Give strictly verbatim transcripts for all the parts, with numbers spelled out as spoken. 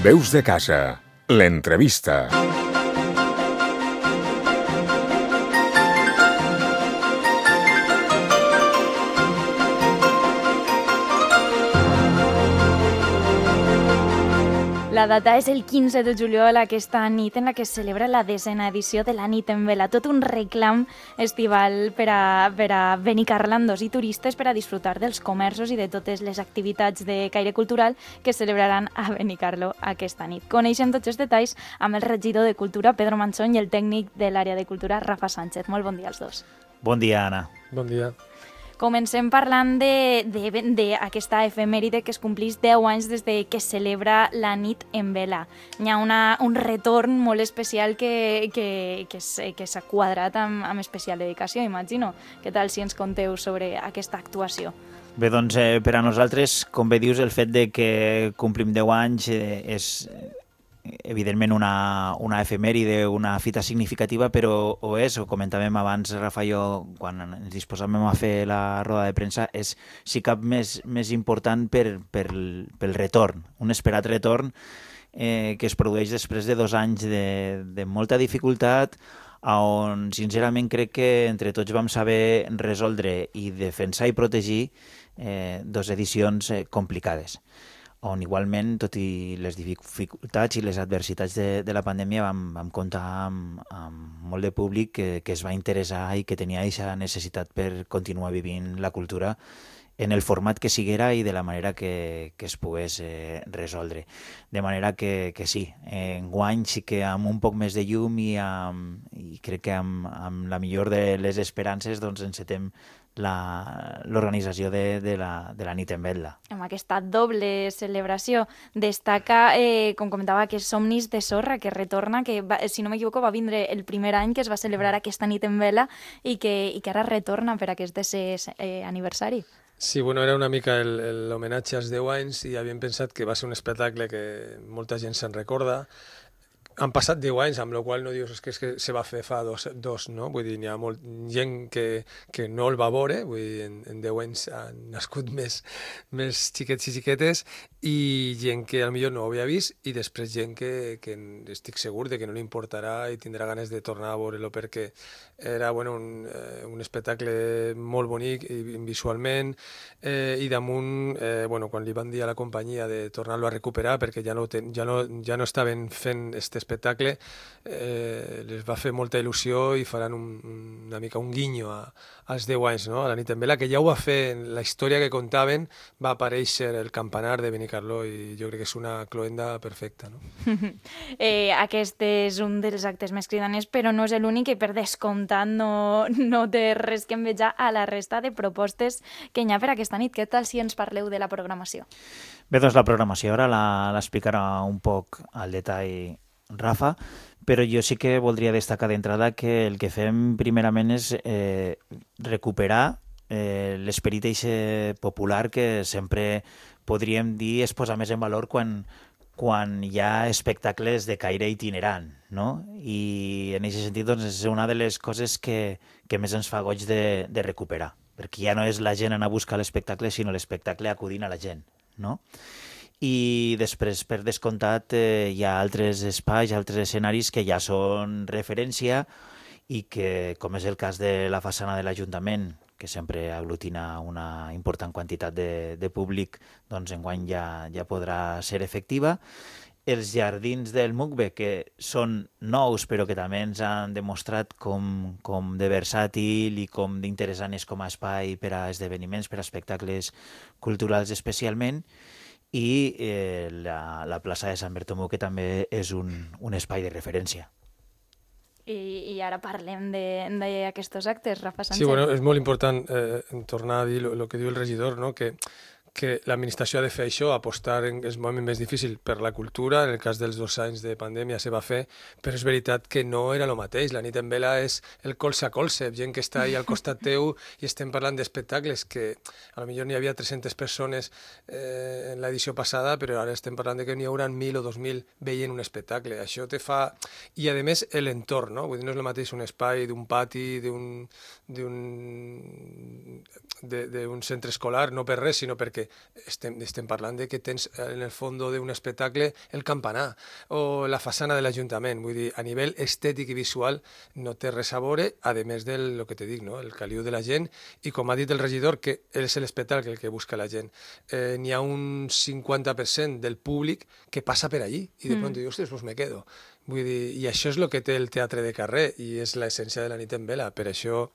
Veus de casa, l'entrevista. La data és el quinze de juliol, aquesta nit en la que es celebra la desena edició de la Nit en Vela. Tot un reclam estival per a, per a benicarlandos i turistes per a disfrutar dels comerços i de totes les activitats de caire cultural que es celebraran a Benicarló aquesta nit. Coneixem tots els detalls amb el regidor de Cultura, Pedro Manchón, i el tècnic de l'àrea de cultura, Rafa Sánchez. Molt bon dia als dos. Bon dia, Anna. Bon dia. Comencem parlant d'aquesta efemèride que es complís deu anys des de que es celebra la Nit en Vela. Hi ha una, un retorn molt especial que, que, que s'ha quadrat amb, amb especial dedicació, imagino. Què tal si ens conteu sobre aquesta actuació? Bé, doncs eh, per a nosaltres, com bé dius, el fet de que complim deu anys eh, és evidentment una, una efemèride, una fita significativa, però ho és, ho comentàvem abans, Rafa i jo, quan ens disposàvem a fer la roda de premsa, és si cap més, més important per, per, pel retorn, un esperat retorn eh, que es produeix després de dos anys de, de molta dificultat, on sincerament crec que entre tots vam saber resoldre i defensar i protegir eh, dos edicions eh, complicades, on igualment, tot i les dificultats i les adversitats de, de la pandèmia, vam, vam comptar amb, amb molt de públic que, que es va interessar i que tenia aquesta necessitat per continuar vivint la cultura en el format que siguera i de la manera que, que es pogués eh, resoldre. De manera que, que sí, enguany sí que amb un poc més de llum i, amb, i crec que amb, amb la millor de les esperances doncs encetem l'organització de, de, la, de la Nit en Vela. Amb aquesta doble celebració destaca, eh, com comentava, que Somnis de Sorra, que retorna, que va, si no m'equivoco va vindre el primer any que es va celebrar aquesta Nit en Vela i que, i que ara retorna per aquest desè eh, aniversari. Sí, bueno, era una mica l'homenatge als deu anys i havíem pensat que va ser un espectacle que molta gent se'n recorda. Han passat deu anys, amb la qual no dius que, és que se va fer fa dos, dos no? Vull dir, hi ha molt, gent que, que no el va veure, vull dir, en, en deu anys han nascut més, més xiquets i xiquetes, i gent que potser no ho havia vist, i després gent que, que estic segur de que no li importarà i tindrà ganes de tornar a veure-lo, perquè era bueno, un, eh, un espectacle molt bonic i, visualment, eh, i damunt, eh, bueno, quan li van dir a la companyia de tornar-lo a recuperar, perquè ja no, ten, ja no, ja no estaven fent este espectacle, eh, les va fer molta il·lusió i faran un, una mica un guinyo a, als deu anys, no? A la Nit en Vela, que ja ho va fer en la història que contaven, va aparèixer el campanar de Benicarló i jo crec que és una cloenda perfecta, no? eh, aquest és un dels actes més cridaners, però no és l'únic, i per descomptat no, no té res que envejar a la resta de propostes que hi ha per aquesta nit. Què tal si ens parleu de la programació? Bé, doncs la programació ara l'explicarà un poc al detall Rafa, però jo sí que voldria destacar d'entrada que el que fem primerament és eh, recuperar eh, l'esperit popular que sempre podríem dir es posa més en valor quan, quan hi ha espectacles de caire itinerant, no? I en aquest sentit doncs, és una de les coses que, que més ens fa goig de, de recuperar, perquè ja no és la gent anar a buscar l'espectacle, sinó l'espectacle acudint a la gent, no? I després, per descomptat, eh, hi ha altres espais, altres escenaris que ja són referència i que, com és el cas de la façana de l'Ajuntament, que sempre aglutina una important quantitat de, de públic, doncs enguany ja, ja podrà ser efectiva. Els jardins del Mucbe, que són nous, però que també ens han demostrat com, com de versàtil i com d'interessant és com a espai per a esdeveniments, per a espectacles culturals especialment, i eh, la, la plaça de Sant Bertomeu, que també és un, un espai de referència. I, i ara parlem d'aquests actes, Rafa Sánchez. Sí, bueno, és molt important eh, tornar a dir el que diu el regidor, no? que que l'administració ha de fer això, apostar en els moments més difícils per la cultura. En el cas dels dos anys de pandèmia se va fer, però és veritat que no era el mateix. La Nit en Vela és el colze a colze, gent que està ahí al costat teu i estem parlant d'espectacles que a lo millor n'hi havia tres-centes persones eh, en l'edició passada, però ara estem parlant de que n'hi haurà mil o dos mil veient un espectacle. Això te fa... I a més l'entorn, no? Vull dir, no és el mateix un espai d'un pati, d'un d'un centre escolar, no per res, sinó perquè estem, estem parlant de que tens en el fons d'un espectacle el campanar o la façana de l'Ajuntament. Vull dir, a nivell estètic i visual no té res a veure, a més del lo que te dic, no? El caliu de la gent, i com ha dit el regidor, que és l'espectacle el que busca la gent. Eh, N'hi ha un cinquanta per cent del públic que passa per allí i de mm. pronto diu, ostres, pues me quedo. Vull dir, i això és el que té el teatre de carrer i és l'essència de la nit en vela. Per això,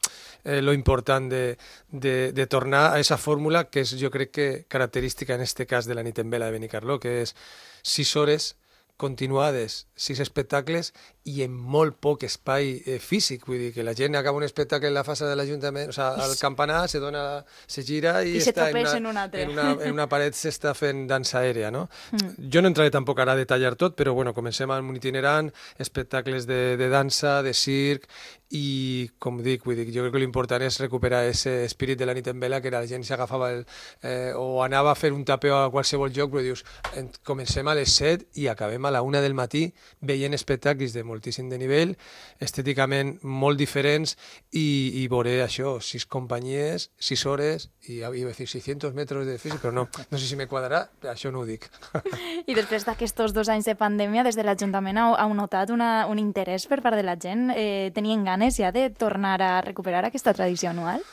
eh, lo important de, de, de tornar a aquesta fórmula que és, jo crec que, característica en este cas de la nit en vela de Benicarló, que és sis hores continuades, sis espectacles i en molt poc espai eh, físic. Vull dir que la gent acaba un espectacle en la fassa de l'Ajuntament, o sigui, al campanar, se dona, se gira i, I està en una, en, una, un en, una, en una paret s'està fent dansa aèria, no? Mm. Jo no entraré tampoc ara a detallar tot, però bueno, comencem amb un itinerant, espectacles de, de dansa, de circ, i com dic, vull dir, jo crec que l'important és recuperar aquest espírit de la nit en vela, que la gent s'agafava el, eh, o anava a fer un tapeo a qualsevol lloc, però dius, en, comencem a les set i acabem a la una del matí veient espectacles de moltíssim de nivell, estèticament molt diferents, i, i veuré això, sis companyies, sis hores, i iba a dir seiscientos metros de físic, però no, no sé si me quadrarà, això no ho dic. I després d'aquests dos anys de pandèmia, des de l'Ajuntament heu, heu notat una, un interès per part de la gent? Eh, tenien ganes ja de tornar a recuperar aquesta tradició anual?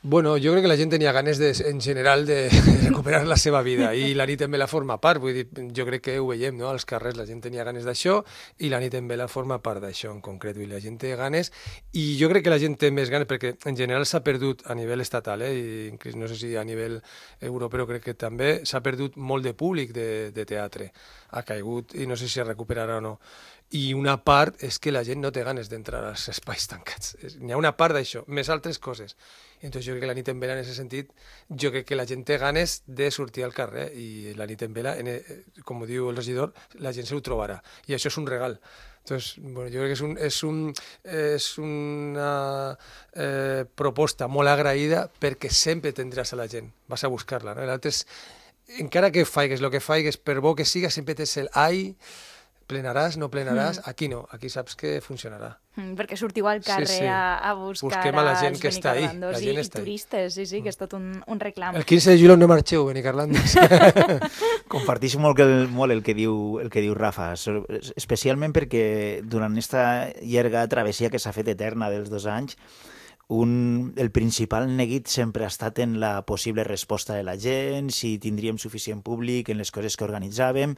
Bueno, jo crec que la gent tenia ganes, de, en general, de recuperar la seva vida, i la nit en vela forma part. Vull dir, jo crec que ho veiem, no? Als carrers la gent tenia ganes d'això i la nit en vela forma part d'això en concret. Vull dir, la gent té ganes, i jo crec que la gent té més ganes perquè en general s'ha perdut a nivell estatal, eh? I no sé si a nivell europeu, crec que també s'ha perdut molt de públic de, de teatre. Ha caigut i no sé si es recuperarà o no. I una part és que la gent no té ganes d'entrar als espais tancats. N'hi ha una part d'això, més altres coses. Entonces jo crec que la nit en vela, en aquest sentit, jo crec que la gent té ganes de sortir al carrer, i la nit en vela, en, com diu el regidor, la gent se ho trobarà. I això és un regal. Entonces, bueno, jo crec que és, un, és, un, és una eh, proposta molt agraïda, perquè sempre tindràs a la gent, vas a buscar-la. No? L'altre és, encara que faigues el que faigues, per bo que siga, sempre tens el ai, plenaràs, no plenaràs, mm. aquí no, aquí saps que funcionarà. Mm, perquè sortiu al carrer sí, sí. A, a buscar Busquem a la gent que està ahí. La gent i, està i turistes, sí, sí, que és tot un, un reclam. El quinze de juliol no marxeu, Benicarlandes. Compartix molt el, molt el que diu el que diu Rafa, especialment perquè durant aquesta llarga travessia que s'ha fet eterna dels dos anys, un, el principal neguit sempre ha estat en la possible resposta de la gent, si tindríem suficient públic en les coses que organitzàvem,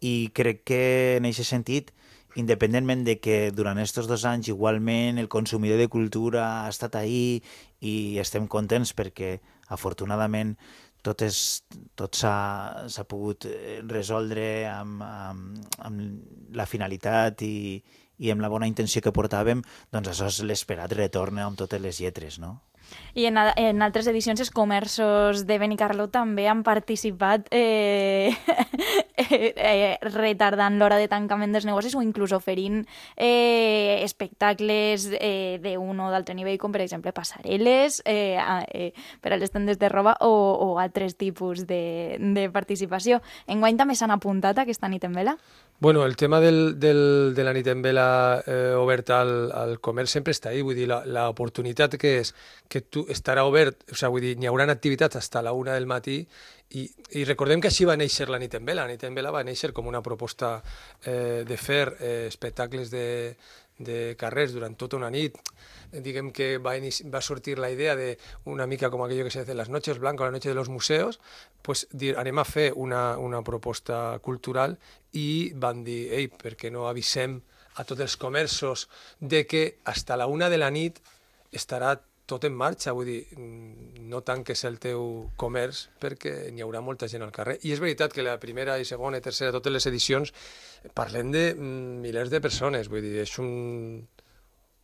i crec que en aquest sentit, independentment de que durant aquests dos anys igualment el consumidor de cultura ha estat ahí i estem contents perquè afortunadament tot, és, tot s'ha pogut resoldre amb, amb, amb la finalitat i, i amb la bona intenció que portàvem, doncs això és l'esperat retorn amb totes les lletres, no? I en, en altres edicions els comerços de Benicarló també han participat eh, eh, retardant l'hora de tancament dels negocis o inclús oferint eh, espectacles eh, d'un o d'altre nivell, com per exemple passarel·les eh, eh, per a les tendes de roba o, o altres tipus de, de participació. Enguany també s'han apuntat a aquesta nit en vela? Bueno, el tema del, del, de la nit en vela eh, oberta al, al comerç sempre està ahí, vull dir, l'oportunitat que és que tu estarà obert, o sigui, vull dir, n'hi haurà activitats fins a la una del matí, i, i recordem que així va néixer la nit en vela. La nit en vela va néixer com una proposta eh, de fer eh, espectacles de, de carrers durant tota una nit. Diguem que va, va sortir la idea de una mica com aquello que se dice las noches blancas, la noche de los museos, pues dir, anem a fer una, una proposta cultural, i van dir, ei, per què no avisem a tots els comerços de que fins a la una de la nit estarà tot en marxa, vull dir, no tanques el teu comerç perquè n'hi haurà molta gent al carrer. I és veritat que la primera i segona i tercera, totes les edicions, parlem de milers de persones, vull dir, és un...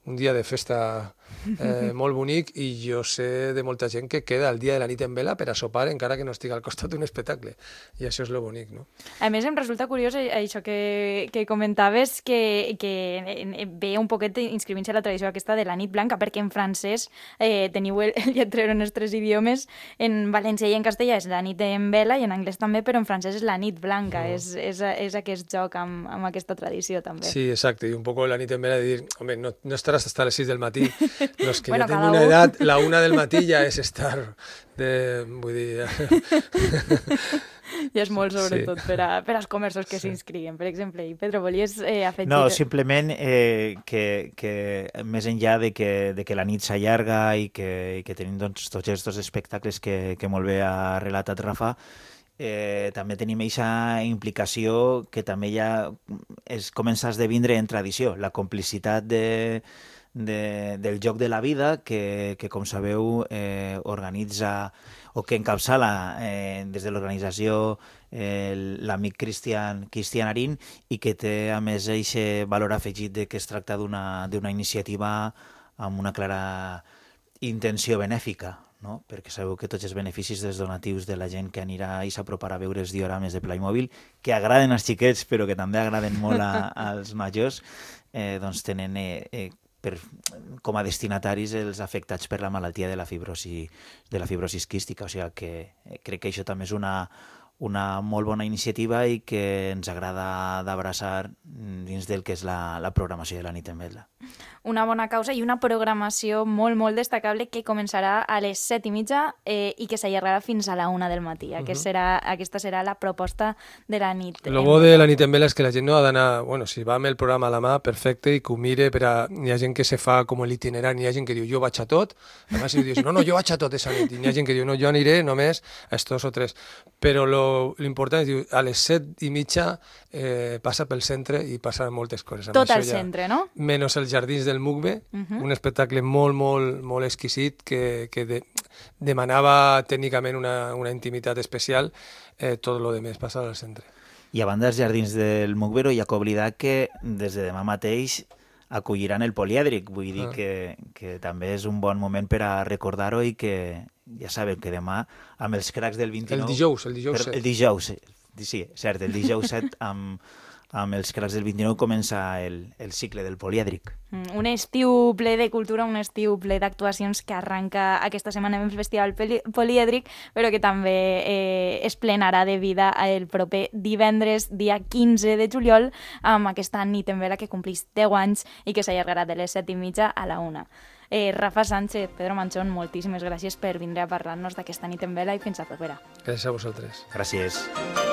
un dia de festa eh, molt bonic, i jo sé de molta gent que queda el dia de la nit en vela per a sopar encara que no estigui al costat d'un espectacle, i això és lo bonic, no? A més, em resulta curiós això que, que comentaves, que, que ve un poquet inscrivint-se a la tradició aquesta de la nit blanca, perquè en francès eh, teniu el, el lletrero en els tres idiomes, en valencià i en castellà és la nit en vela, i en anglès també, però en francès és la nit blanca, no. és, és, és aquest joc amb, amb aquesta tradició també. Sí, exacte, i un poc la nit en vela de dir, home, no, no està estaràs hasta les sis del matí. Los que Bueno, ja tenen cada una u. edat, la una del matí ja és estar de... Vull dir... I és molt, sobretot, Sí. per, a, per als comerços que s'inscriguen, per exemple. I Pedro, volies eh, afegir... No, simplement eh, que, que més enllà de que, de que la nit s'allarga i que, i que tenim doncs, tots aquests espectacles que, que molt bé ha relatat Rafa, eh, també tenim aquesta implicació que també ja es comença a esdevindre en tradició, la complicitat de, de, del joc de la vida que, que com sabeu, eh, organitza o que encapçala eh, des de l'organització eh, l'amic Cristian, Cristian Arín, i que té a més aquest valor afegit de que es tracta d'una d'una iniciativa amb una clara intenció benèfica, no? Perquè sabeu que tots els beneficis dels donatius de la gent que anirà i s'aproparà a veure els diorames de Playmobil, que agraden als xiquets però que també agraden molt a, als majors, eh, doncs tenen eh, eh, per, com a destinataris els afectats per la malaltia de la fibrosi, de la fibrosi quística. O sigui que eh, crec que això també és una, una molt bona iniciativa i que ens agrada d'abraçar dins del que és la, la programació de la nit en vetla. Una bona causa i una programació molt, molt destacable que començarà a les set i mitja eh, i que s'allargarà fins a la una del matí. Uh -huh. Aquest serà, aquesta serà la proposta de la nit. Lo bo de la nit en vela és que la gent no ha d'anar... Bueno, si va amb el programa a la mà, perfecte, i que ho mire, per a... Hi ha gent que se fa com l'itinerari, hi ha gent que diu, jo vaig a tot, a més si dius, no, no, jo vaig a tot esa nit, i hi ha gent que diu, no, jo aniré només a estos o tres. Però lo, lo important és, diu, a les set i mitja eh, passa pel centre i passa moltes coses. Amb Tot això al ja, centre, no? Menys els jardins del Mugbe, Uh -huh. un espectacle molt, molt, molt exquisit que, que de, demanava tècnicament una, una intimitat especial, eh, tot lo demés passa al centre. I a banda dels jardins del Mugbero, hi ha que oblidar que des de demà mateix acolliran el polièdric, vull dir Ah. que, que també és un bon moment per a recordar-ho i que ja sabeu que demà amb els cracs del vint-i-nou... El dijous, el dijous Per, set. el dijous, sí, cert, el dijous set amb, amb els cracs del vint-i-nou comença el, el cicle del polièdric. Mm, Un estiu ple de cultura, un estiu ple d'actuacions que arranca aquesta setmana amb el Festival Poli- Polièdric, però que també eh, es plenarà de vida el proper divendres, dia quinze de juliol, amb aquesta nit en vela que complís deu anys i que s'allargarà de les set i mitja a la una. Eh, Rafa Sánchez, Pedro Manchón, moltíssimes gràcies per vindre a parlar-nos d'aquesta nit en vela i fins a propera. Gràcies a vosaltres. Gràcies.